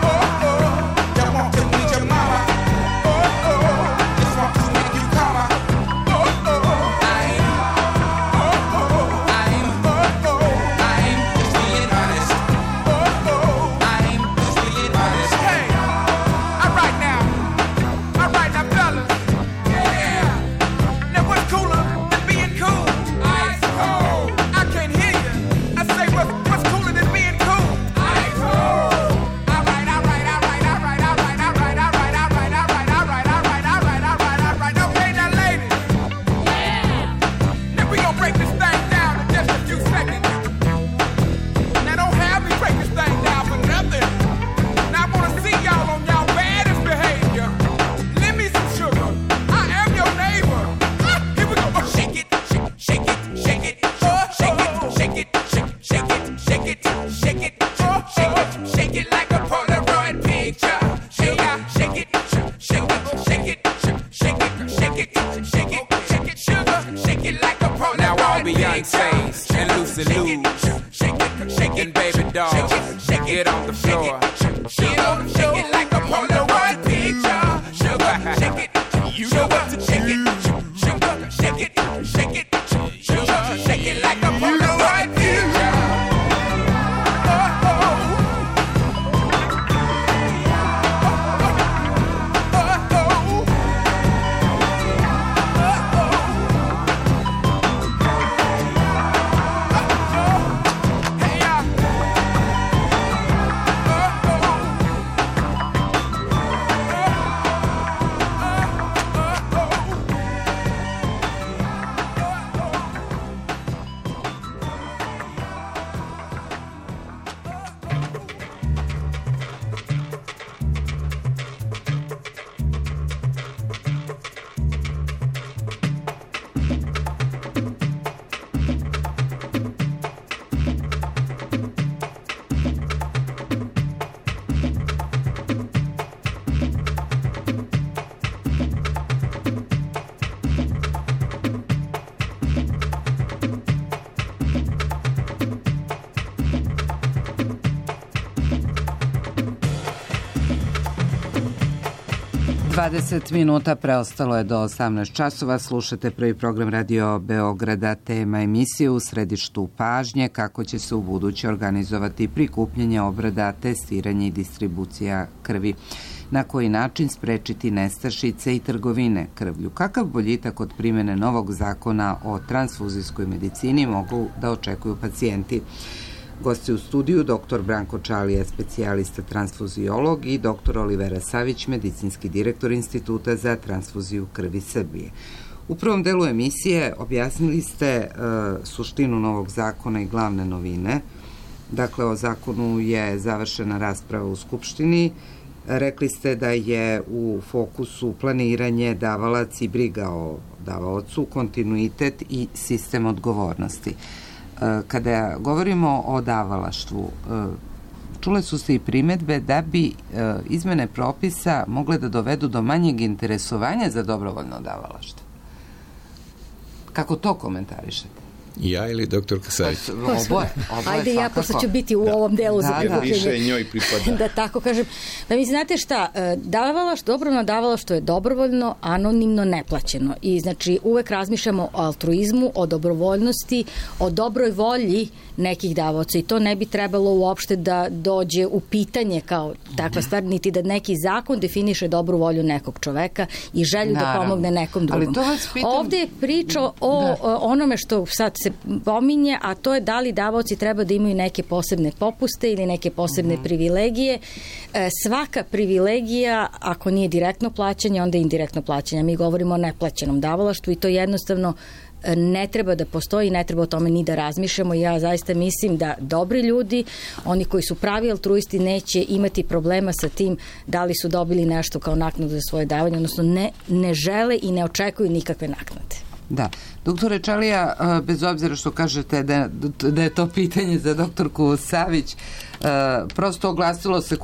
Oh, oh. Don't want to meet your mama. Oh, oh. Just want to make you come. Oh, oh. Just being honest. Oh, oh. I'm just being honest. Hey, all right now, fellas. Yeah. Now what's cooler than being cool? Ice cold. I can't hear you. I say what's cooler than being cool? Ice cold. All right. Okay, now ladies. Yeah. Now we gonna break this thing down in just a few seconds. Now don't have me break this thing down for nothing. Now I wanna see y'all on y'all baddest behavior. Lend me some sugar. I am your neighbor. Here we go. Oh, shake it. Oh, shake it. Oh, shake it. Oh, shake it like a Polaroid picture. Shake it. Sugar. Shake it like a Polaroid picture. Now all Beyonce's and Lucy Lou's. Shaking baby doll, get on the floor. Shake it like a Polaroid picture. Sugar, shake it, you know what to shake it. Sugar, shake it, sugar, shake it like a Polaroid picture. Oh, oh. Hey, 20 minuta preostalo je do 18 časova. Slušate prvi program Radio Beograda, tema emisije U središtu pažnje, kako će se u buduće organizovati prikupljanje, obrada, testiranje i distribucija krvi. Na koji način sprečiti nestašice i trgovine krvlju. Kakav boljitak od primjene novog zakona o transfuzijskoj medicini mogu da očekuju pacijenti? Gosti u studiju dr. Branko Čalija, specijalista transfuziolog, i dr. Olivera Savić, medicinski direktor Instituta za transfuziju krvi Srbije. U prvom delu emisije objasnili ste suštinu novog zakona i glavne novine. Dakle, o zakonu je završena rasprava u Skupštini. Rekli ste da je u fokusu planiranje, davalac i briga o davaocu, kontinuitet i sistem odgovornosti. Kada govorimo o davalaštvu, čule su se i primedbe da bi izmene propisa mogle da dovedu do manjeg interesovanja za dobrovoljno davalaštvo. Kako to komentarišete? Ja ili doktor Savić? Oboje. Ajde, ja pošto ću biti u ovom delu za prikupljanje. Više njoj pripada. Da tako kažem. Da mi znate šta, dobrovoljno davalaštvo je dobrovoljno, anonimno, neplaćeno. I znači uvek razmišljamo o altruizmu, o dobrovoljnosti, o dobroj volji nekih davaoca i to ne bi trebalo uopšte da dođe u pitanje kao takva stvar, niti da neki zakon definiše dobru volju nekog čoveka i želju da pomogne nekom drugom. Ovde je priča o onome što sad se pominje, a to je da li davaoci treba da imaju neke posebne popuste ili neke posebne privilegije. Svaka privilegija, ako nije direktno plaćanje, onda je indirektno plaćanje. Mi govorimo o neplaćenom davalaštvu i to jednostavno ne treba da postoji, ne treba o tome ni da razmišljamo. Ja zaista mislim da dobri ljudi, oni koji su pravi altruisti, neće imati problema sa tim da li su dobili nešto kao naknadu za svoje davanje, odnosno ne žele i ne očekuju nikakve naknade. Da. Doktore Čalija, bez obzira što kažete da je to pitanje za doktorku Savić, prosto oglasilo se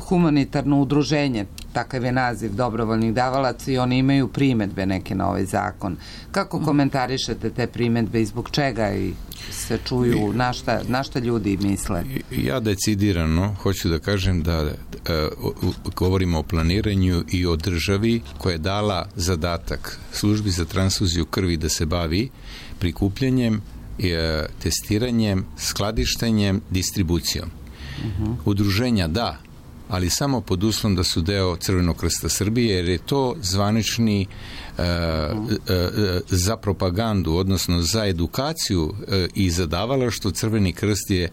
humanitarno udruženje, takav je naziv dobrovoljnih davalaca, i oni imaju primedbe neke na ovaj zakon. Kako komentarišete te primedbe i zbog čega se čuju, na šta ljudi misle? Ja decidirano hoću da kažem da govorimo o planiranju i o državi koja je dala zadatak službi za transfuziju krvi da se bavi prikupljanjem, testiranjem, skladištenjem, distribucijom. Udruženja da, ali samo pod uslovom da su deo Crvenog krsta Srbije, jer je to zvanični za propagandu, odnosno za edukaciju i za davalaštvo. Crveni krst je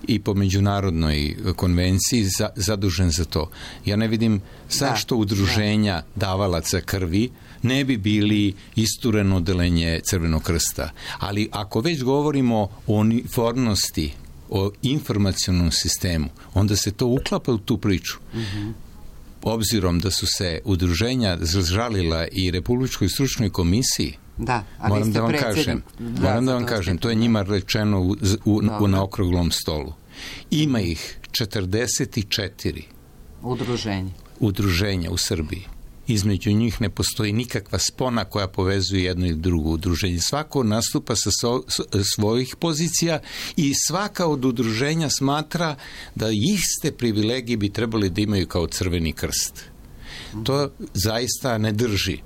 i po međunarodnoj konvenciji zadužen za to. Ja ne vidim zašto udruženja davalaca krvi ne bi bili istureno odeljenje Crvenog krsta. Ali ako već govorimo o uniformnosti, o informacionom sistemu, onda se to uklapa u tu priču. Obzirom da su se udruženja žalila i Republičkoj stručnoj komisiji, moram da vam kažem, to je njima rečeno na okruglom stolu. Ima ih 44 udruženja u Srbiji. Između njih ne postoji nikakva spona koja povezuje jedno ili drugo udruženje. Svako nastupa sa svojih pozicija i svaka od udruženja smatra da iste privilegije bi trebali da imaju kao Crveni krst. To zaista ne drži.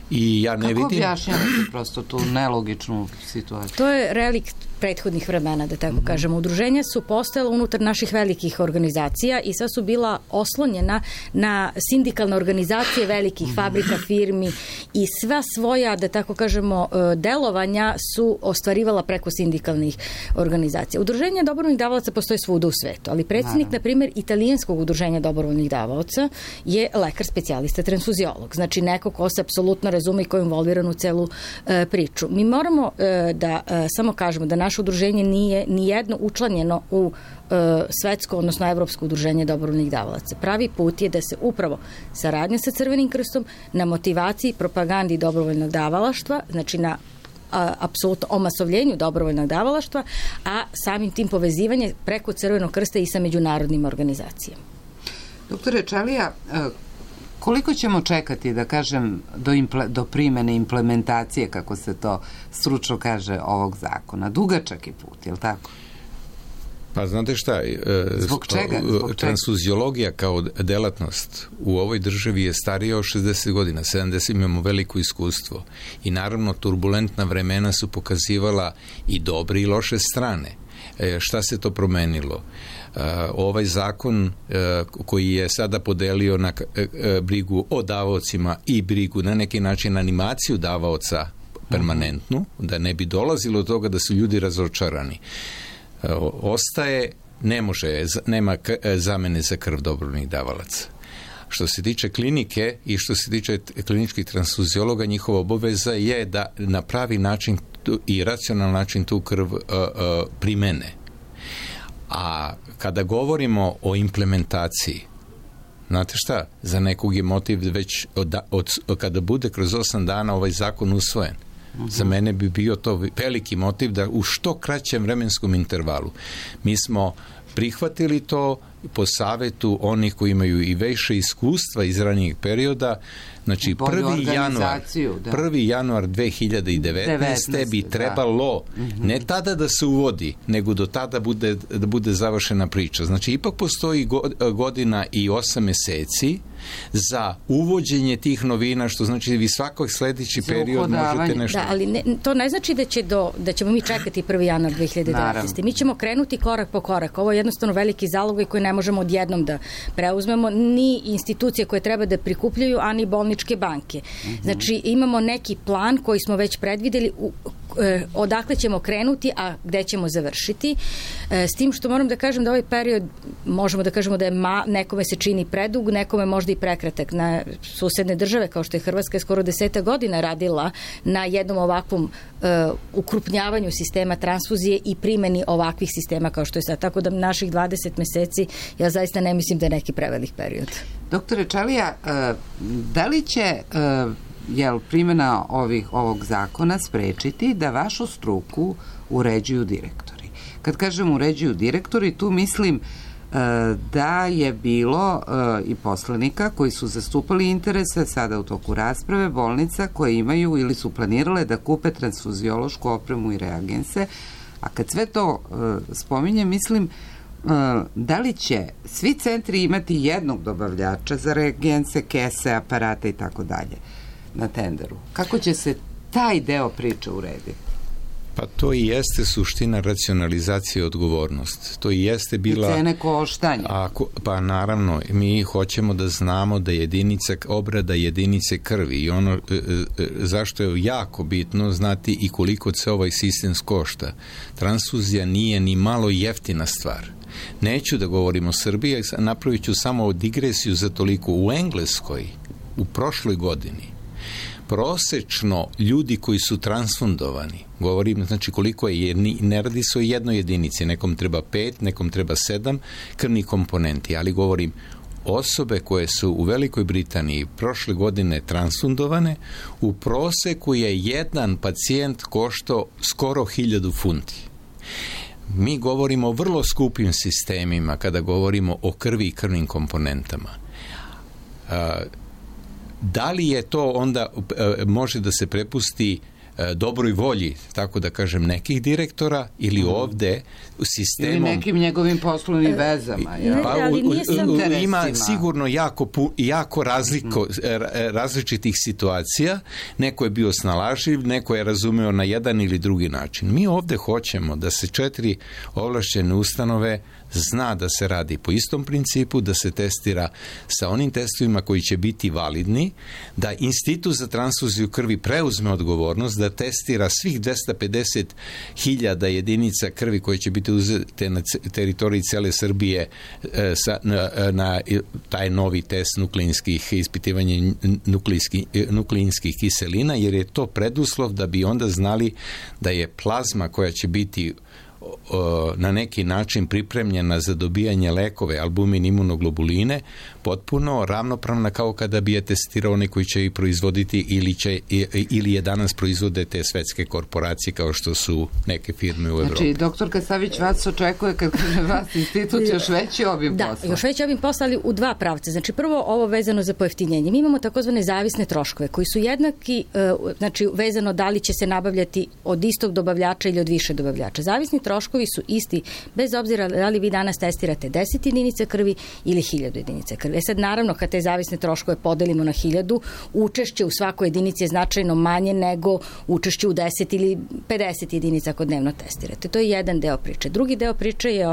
I ja ne vidim... Kako objašnjavate prosto tu nelogičnu situaciju? To je relikt prethodnih vremena, da tako kažemo. Udruženja su postojala unutar naših velikih organizacija i sad su bila oslonjena na sindikalne organizacije velikih fabrika, firmi i sva svoja, da tako kažemo, delovanja su ostvarivala preko sindikalnih organizacija. Udruženja dobrovoljnih davalaca postoje svuda u svetu, ali predsjednik, na primjer, italijanskog udruženja dobrovoljnih davalaca je lekar specijalista transfuziolog. Znači neko ko se apsolutno razume i ko je involviran u celu priču. Mi moramo da samo kažemo da naše udruženje nije nijedno učlanjeno u svetsko, odnosno evropsko udruženje dobrovoljnih davalaca. Pravi put je da se upravo saradnja sa Crvenim krstom na motivaciji, propagandi dobrovoljnog davalaštva, znači na apsolutno omasovljenju dobrovoljnog davalaštva, a samim tim povezivanje preko Crvenog krsta i sa međunarodnim organizacijama. Doktore Čalija, koliko ćemo čekati, da kažem, do primene implementacije, kako se to stručno kaže, ovog zakona? Dugačak je put, je li tako? Pa znate šta, Zbog čega? Transfuziologija kao delatnost u ovoj državi je starija od 60 godina, 70 imamo veliko iskustvo i naravno turbulentna vremena su pokazivala i dobre i loše strane. Šta se to promenilo? Ovaj zakon koji je sada podelio na brigu o davaocima i brigu na neki način animaciju davaoca permanentnu, da ne bi dolazilo do toga da su ljudi razočarani. Ostaje, nema zamene za krv dobrovoljnih davalaca. Što se tiče klinike i što se tiče kliničkih transfuziologa, njihova obaveza je da na pravi način i racionalan način tu krv primene. A kada govorimo o implementaciji, znate šta, za nekog je motiv već kada bude kroz 8 dana ovaj zakon usvojen. Za mene bi bio to veliki motiv da u što kraćem vremenskom intervalu. Mi smo prihvatili to po savetu onih koji imaju i više iskustva iz ranijeg perioda. Znači 1. januar 2019. bi trebalo ne tada da se uvodi, nego do tada da bude završena priča. Znači ipak postoji godina i 8 meseci za uvođenje tih novina, što znači vi svakog sledeći period možete nešto... Da, ali to ne znači da ćemo mi čekati 1. januar 2019. Mi ćemo krenuti korak po korak. Ovo je jednostavno veliki zalogaj koji ne možemo odjednom da preuzmemo, ni institucije koje treba da prikupljaju, a ni bolničke banke. Znači imamo neki plan koji smo već predvideli odakle ćemo krenuti, a gde ćemo završiti. S tim što moram da kažem da ovaj period, možemo da kažemo da je nekome se čini predug, nekome možda i prekratak. Na susedne države, kao što je Hrvatska, skoro 10 godina radila na jednom ovakvom ukrupnjavanju sistema transfuzije i primeni ovakvih sistema kao što je sad. Tako da naših 20 meseci, ja zaista ne mislim da je neki prevelik period. Doktore Čalija, da li će primjena ovog zakona sprečiti da vašu struku uređuju direktori? Kad kažem uređuju direktori, tu mislim da je bilo i poslanika koji su zastupali interese sada u toku rasprave bolnica koje imaju ili su planirale da kupe transfuziološku opremu i reagense, a kad sve to spominjem, mislim da li će svi centri imati jednog dobavljača za reagense, kese, aparate i tako dalje na tenderu? Kako će se taj deo priče urediti? Pa to i jeste suština racionalizacije odgovornost. To i jeste bila... I cene koštanja. Pa naravno, mi hoćemo da znamo da obrada jedinice krvi i ono zašto je jako bitno znati i koliko se ovaj sistem košta. Transfuzija nije ni malo jeftina stvar. Neću da govorim o Srbiji, napravit ću samo digresiju za toliko. U Engleskoj, u prošloj godini, prosečno ljudi koji su transfundovani, govorim znači koliko je, ne radi se o jednoj jedinici, nekom treba 5, nekom treba 7 krvnih komponenti, ali govorim osobe koje su u Velikoj Britaniji prošle godine transfundovane, u proseku je jedan pacijent koštao skoro 1000 funti. Mi govorimo o vrlo skupim sistemima kada govorimo o krvi i krvnim komponentama. Da li je to onda može da se prepusti dobroj volji, tako da kažem, nekih direktora ili ovde u sistemom... Ili nekim njegovim poslovnim vezama. Ima sigurno jako različitih situacija. Neko je bio snalažljiv, neko je razumeo na jedan ili drugi način. Mi ovde hoćemo da se 4 ovlašćene ustanove zna da se radi po istom principu, da se testira sa onim testovima koji će biti validni, da Institut za transfuziju krvi preuzme odgovornost, da testira svih 250.000 jedinica krvi koje će biti uzete na teritoriji cele Srbije na taj novi test nukleinskih, ispitivanje nukleinskih kiselina, jer je to preduslov da bi onda znali da je plazma koja će biti na neki način pripremljena za dobijanje lekove, albumin, imunoglobuline, potpuno ravnopravna kao kada bi je testirao oni koji će i proizvoditi ili je danas proizvode te svetske korporacije kao što su neke firme u Evropi. Znači, doktorka Savić vas očekuje kad kaže vas institut još veći obim posla. Da, još veći obim posla, ali u 2 pravca. Znači, prvo ovo vezano za pojeftinjenje. Mi imamo takozvane zavisne troškove koji su jednaki, znači vezano da li će se nabavljati od istog dobavljača ili od više dobavljača. Zavisni troškovi troškovi su isti, bez obzira da li vi danas testirate 10 jedinica krvi ili 1000 jedinica krvi. Sad, naravno, kad te zavisne troškove podelimo na 1000, učešće u svakoj jedinici je značajno manje nego učešće u 10 ili 50 jedinica ako dnevno testirate. To je jedan deo priče. Drugi deo priče je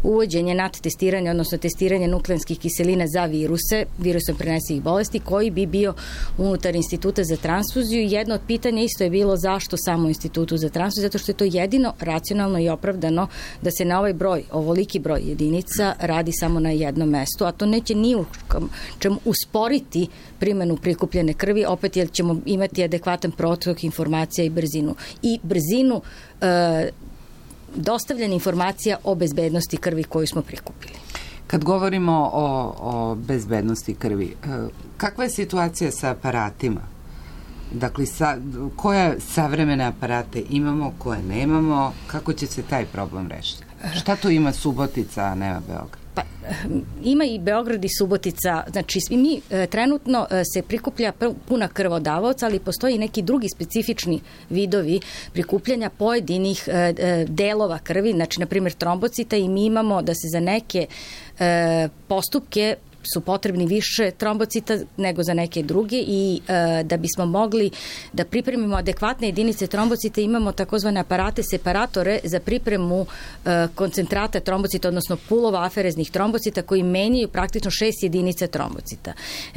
uvođenje NAT testiranja, odnosno testiranje nukleanskih kiselina za viruse, virusom prenesivih bolesti, koji bi bio unutar Instituta za transfuziju. Jedno od pitanja isto je bilo zašto samo Institutu za transfuziju, zato što je to jedino racionalno i opravdano da se na ovaj broj, ovoliki broj jedinica radi samo na jednom mestu, a to neće ni u čemu usporiti primenu prikupljene krvi, opet jer ćemo imati adekvatan protok informacija i brzinu dostavljanja informacija o bezbednosti krvi koju smo prikupili. Kad govorimo o bezbednosti krvi, kakva je situacija sa aparatima? Dakle, koje savremene aparate imamo, koje nemamo, kako će se taj problem rešiti? Šta tu ima Subotica, a nema Beograd? Pa, ima i Beograd i Subotica, znači mi trenutno se prikuplja puna krv od davaoca, ali postoji i neki drugi specifični vidovi prikupljanja pojedinih delova krvi, znači na primjer trombocita, i mi imamo da se za neke postupke su potrebni više trombocita nego za neke druge i da bismo mogli da pripremimo adekvatne jedinice trombocita imamo takozvane aparate separatore za pripremu koncentrata trombocita, odnosno pulova afereznih trombocita koji menjaju praktično 6 jedinica trombocita.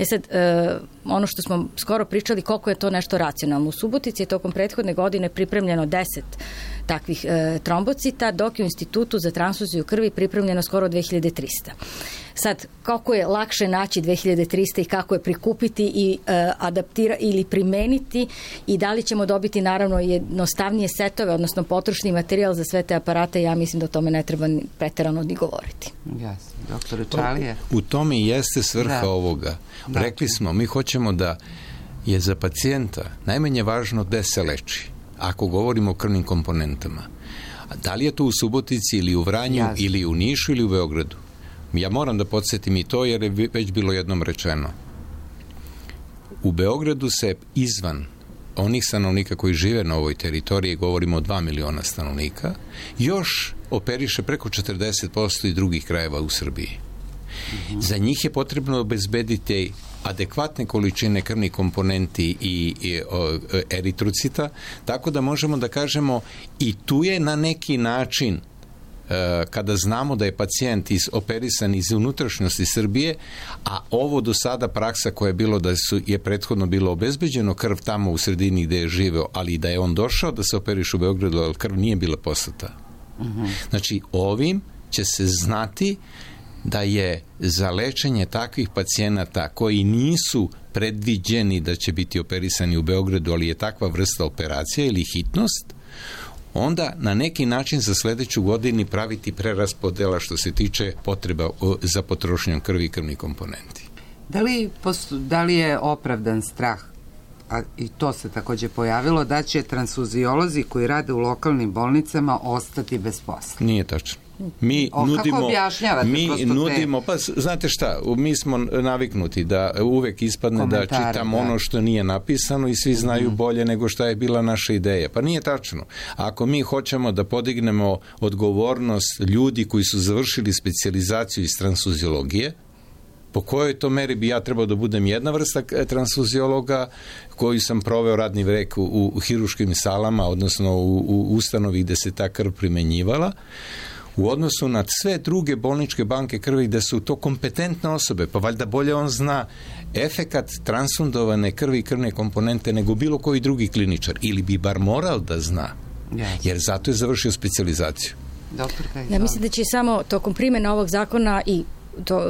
Sad, ono što smo skoro pričali koliko je to nešto racionalno. U Subotici je tokom prethodne godine pripremljeno 10 takvih trombocita, dok je u Institutu za transfuziju krvi pripremljeno skoro 2300. Sad, kako je lakše naći 2300 i kako je prikupiti i adaptirati ili primeniti i da li ćemo dobiti naravno jednostavnije setove, odnosno potrošni materijal za sve te aparate, ja mislim da o tome ne treba preterano ni govoriti. Jasno. Doktore Čalije? U tome i jeste svrha ovoga. Rekli smo, mi hoćemo da je za pacijenta najmanje važno gde se leči, ako govorimo o krvnim komponentama. A da li je to u Subotici ili u Vranju ili u Nišu ili u Beogradu? Ja moram da podsjetim i to jer je već bilo jednom rečeno. U Beogradu se izvan onih stanovnika koji žive na ovoj teritoriji, govorimo o 2 miliona stanovnika, još operiše preko 40% i drugih krajeva u Srbiji. Za njih je potrebno obezbediti adekvatne količine krvnih komponenti i eritrocita, tako da možemo da kažemo i tu je na neki način kada znamo da je pacijent operisan iz unutrašnjosti Srbije, a ovo do sada praksa koja je bilo da je prethodno bilo obezbeđeno krv tamo u sredini gde je živeo, ali da je on došao da se operiš u Beogradu, ali krv nije bila poslata. Znači, ovim će se znati da je za lečenje takvih pacijenata koji nisu predviđeni da će biti operisani u Beogradu, ali je takva vrsta operacija ili hitnost, onda na neki način za sledeću godinu praviti preraspodela što se tiče potreba za potrošnjom krvi i krvnih komponenti. Da li je opravdan strah, a i to se takođe pojavilo, da će transfuziolozi koji rade u lokalnim bolnicama ostati bez posla? Nije tačno. Kako objašnjavate? Pa znate šta, mi smo naviknuti da uvek ispadne da čitamo ono što nije napisano i svi znaju bolje nego šta je bila naša ideja. Pa nije tačno. Ako mi hoćemo da podignemo odgovornost ljudi koji su završili specijalizaciju iz transfuziologije, po kojoj to meri bi ja trebao da budem jedna vrsta transfuziologa koji sam proveo radni vek u hiruškim salama, odnosno u ustanovi gde se ta krv primenjivala, u odnosu na sve druge bolničke banke krvi gde su to kompetentne osobe, pa valjda bolje on zna efekat transfundovane krvi i krvne komponente nego bilo koji drugi kliničar, ili bi bar morao da zna, jer zato je završio specijalizaciju. Ja mislim da će samo tokom primjene ovog zakona i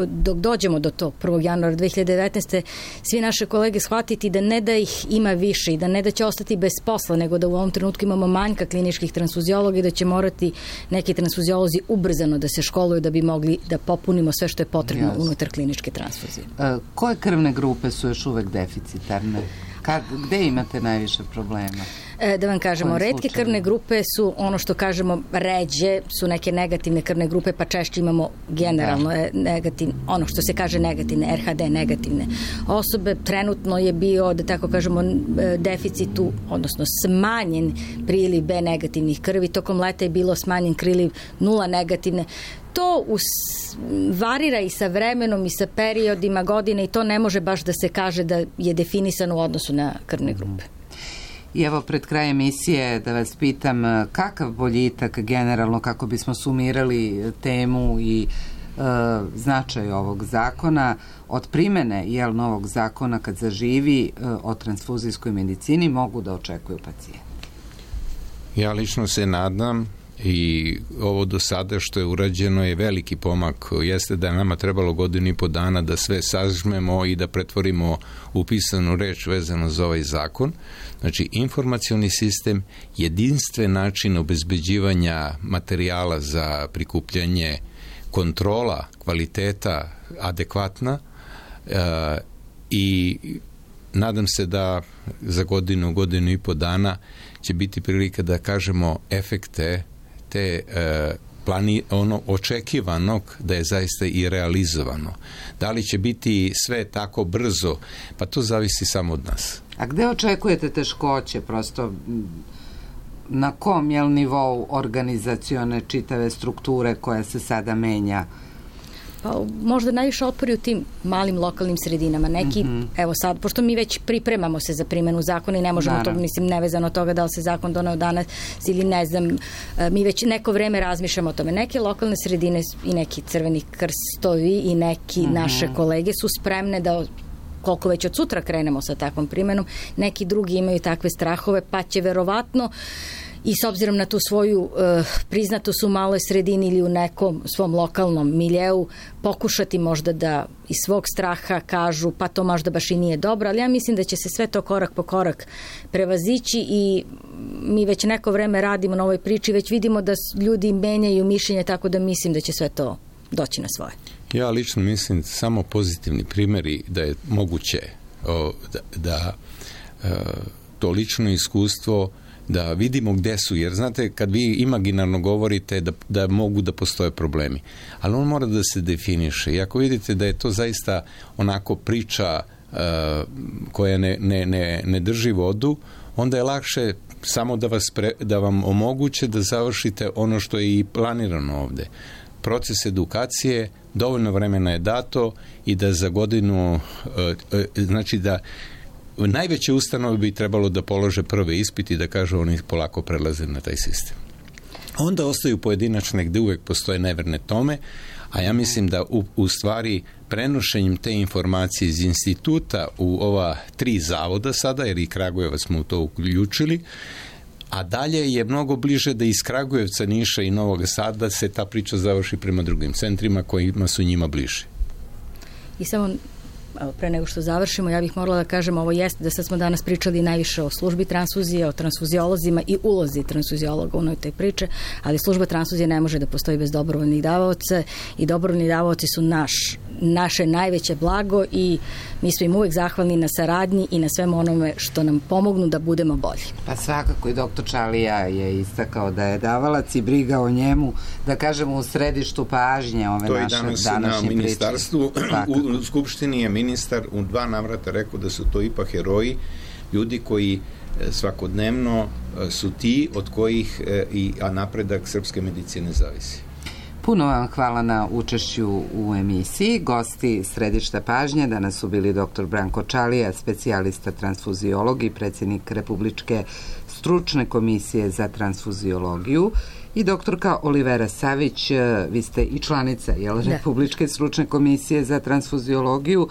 dok dođemo do tog 1. januara 2019. svi naše kolege shvatiti da ne da ih ima više i da ne da će ostati bez posla, nego da u ovom trenutku imamo manjka kliničkih transfuziologa i da će morati neki transfuziolozi ubrzano da se školuju da bi mogli da popunimo sve što je potrebno unutar kliničke transfuzije. Koje krvne grupe su još uvek deficitarne? Gde imate najviše problema? Da vam kažemo, retke krvne grupe su ono što kažemo ređe, su neke negativne krvne grupe, pa češće imamo generalno negativne, ono što se kaže negativne, RHD negativne osobe. Trenutno je bio, da tako kažemo, deficitu, odnosno smanjen priliv B negativnih krvi. Tokom leta je bilo smanjen priliv 0 negativne. To varira i sa vremenom i sa periodima godine i to ne može baš da se kaže da je definisano u odnosu na krvne grupe. I evo pred kraj emisije da vas pitam kakav boljitak generalno kako bismo sumirali temu i značaj ovog zakona od primene novog zakona kad zaživi o transfuzijskoj medicini mogu da očekuju pacijenti? Ja lično se nadam i ovo do sada što je urađeno je veliki pomak. Jeste da je nama trebalo 1.5 godina da sve sažmemo i da pretvorimo u pisanu reč vezano za ovaj zakon. Znači, informacioni sistem, jedinstven način obezbeđivanja materijala za prikupljanje, kontrola kvaliteta adekvatna i nadam se da za 1.5 dana će biti prilika da kažemo efekte te očekivanog da je zaista i realizovano. Da li će biti sve tako brzo? Pa to zavisi samo od nas. A gde očekujete teškoće? Prosto na kom nivou organizacione čitave strukture koja se sada menja? Pa možda najviše otpori u tim malim lokalnim sredinama. Neki, evo sad, pošto mi već pripremamo se za primjenu zakona i ne možemo to, mislim, nevezano od toga da li se zakon doneo danas ili ne znam, mi već neko vreme razmišljamo o tome. Neke lokalne sredine i neki Crveni krstovi i neki naše kolege su spremne da koliko već od sutra krenemo sa takvom primjenom, neki drugi imaju takve strahove, pa će verovatno i s obzirom na tu svoju priznatost u maloj sredini ili u nekom svom lokalnom miljeu pokušati možda da iz svog straha kažu pa to možda baš i nije dobro, ali ja mislim da će se sve to korak po korak prevazići i mi već neko vreme radimo na ovoj priči, već vidimo da ljudi menjaju mišljenje, tako da mislim da će sve to doći na svoje. Ja lično mislim samo pozitivni primjeri da je moguće da to lično iskustvo da vidimo gde su, jer znate kad vi imaginarno govorite da mogu da postoje problemi, ali on mora da se definiše i ako vidite da je to zaista onako priča koja ne drži vodu, onda je lakše samo da vam omoguće da završite ono što je i planirano ovde. Proces edukacije, dovoljno vremena je dato i da za godinu, znači da najveće ustanove bi trebalo da polože prve ispiti i da kažu oni polako prelaze na taj sistem. Onda ostaju pojedinačne gde uvek postoje neverne tome, a ja mislim da u stvari prenošenjem te informacije iz instituta u ova 3 zavoda sada, jer i Kragujevac smo u to uključili, a dalje je mnogo bliže da iz Kragujevca, Niša i Novog Sada se ta priča završi prema drugim centrima kojima su njima bliže. I samo pre nego što završimo, ja bih morala da kažem, ovo jeste da sad smo danas pričali najviše o službi transfuzije, o transfuziolozima i ulozi transfuziologa u toj priče, ali služba transfuzije ne može da postoji bez dobrovoljnih davaoca i dobrovoljni davaoci su naše najveće blago i mi smo im uvek zahvalni na saradnji i na svemu onome što nam pomognu da budemo bolji. Pa svakako i doktor Čalija je istakao da je davalac i briga o njemu, da kažemo, u središtu pažnje ove naše današnje priče. To i danas na ministarstvu, u Skupštini je ministar u 2 navrata rekao da su to ipak heroji, ljudi koji svakodnevno su ti od kojih a napredak srpske medicine zavisi. Puno vam hvala na učešću u emisiji. Gosti središta pažnje danas su bili dr. Branko Čalija, specijalista transfuziolog i predsjednik Republičke stručne komisije za transfuziologiju, i doktorka Olivera Savić, vi ste i članica Republičke stručne komisije za transfuziologiju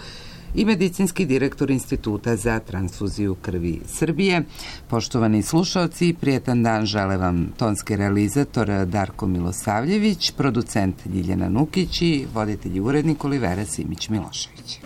i medicinski direktor Instituta za transfuziju krvi Srbije. Poštovani slušaoci, prijetan dan žele vam tonski realizator Darko Milosavljević, producent Ljiljana Nukić i voditelj i urednik Olivera Simić-Milošević.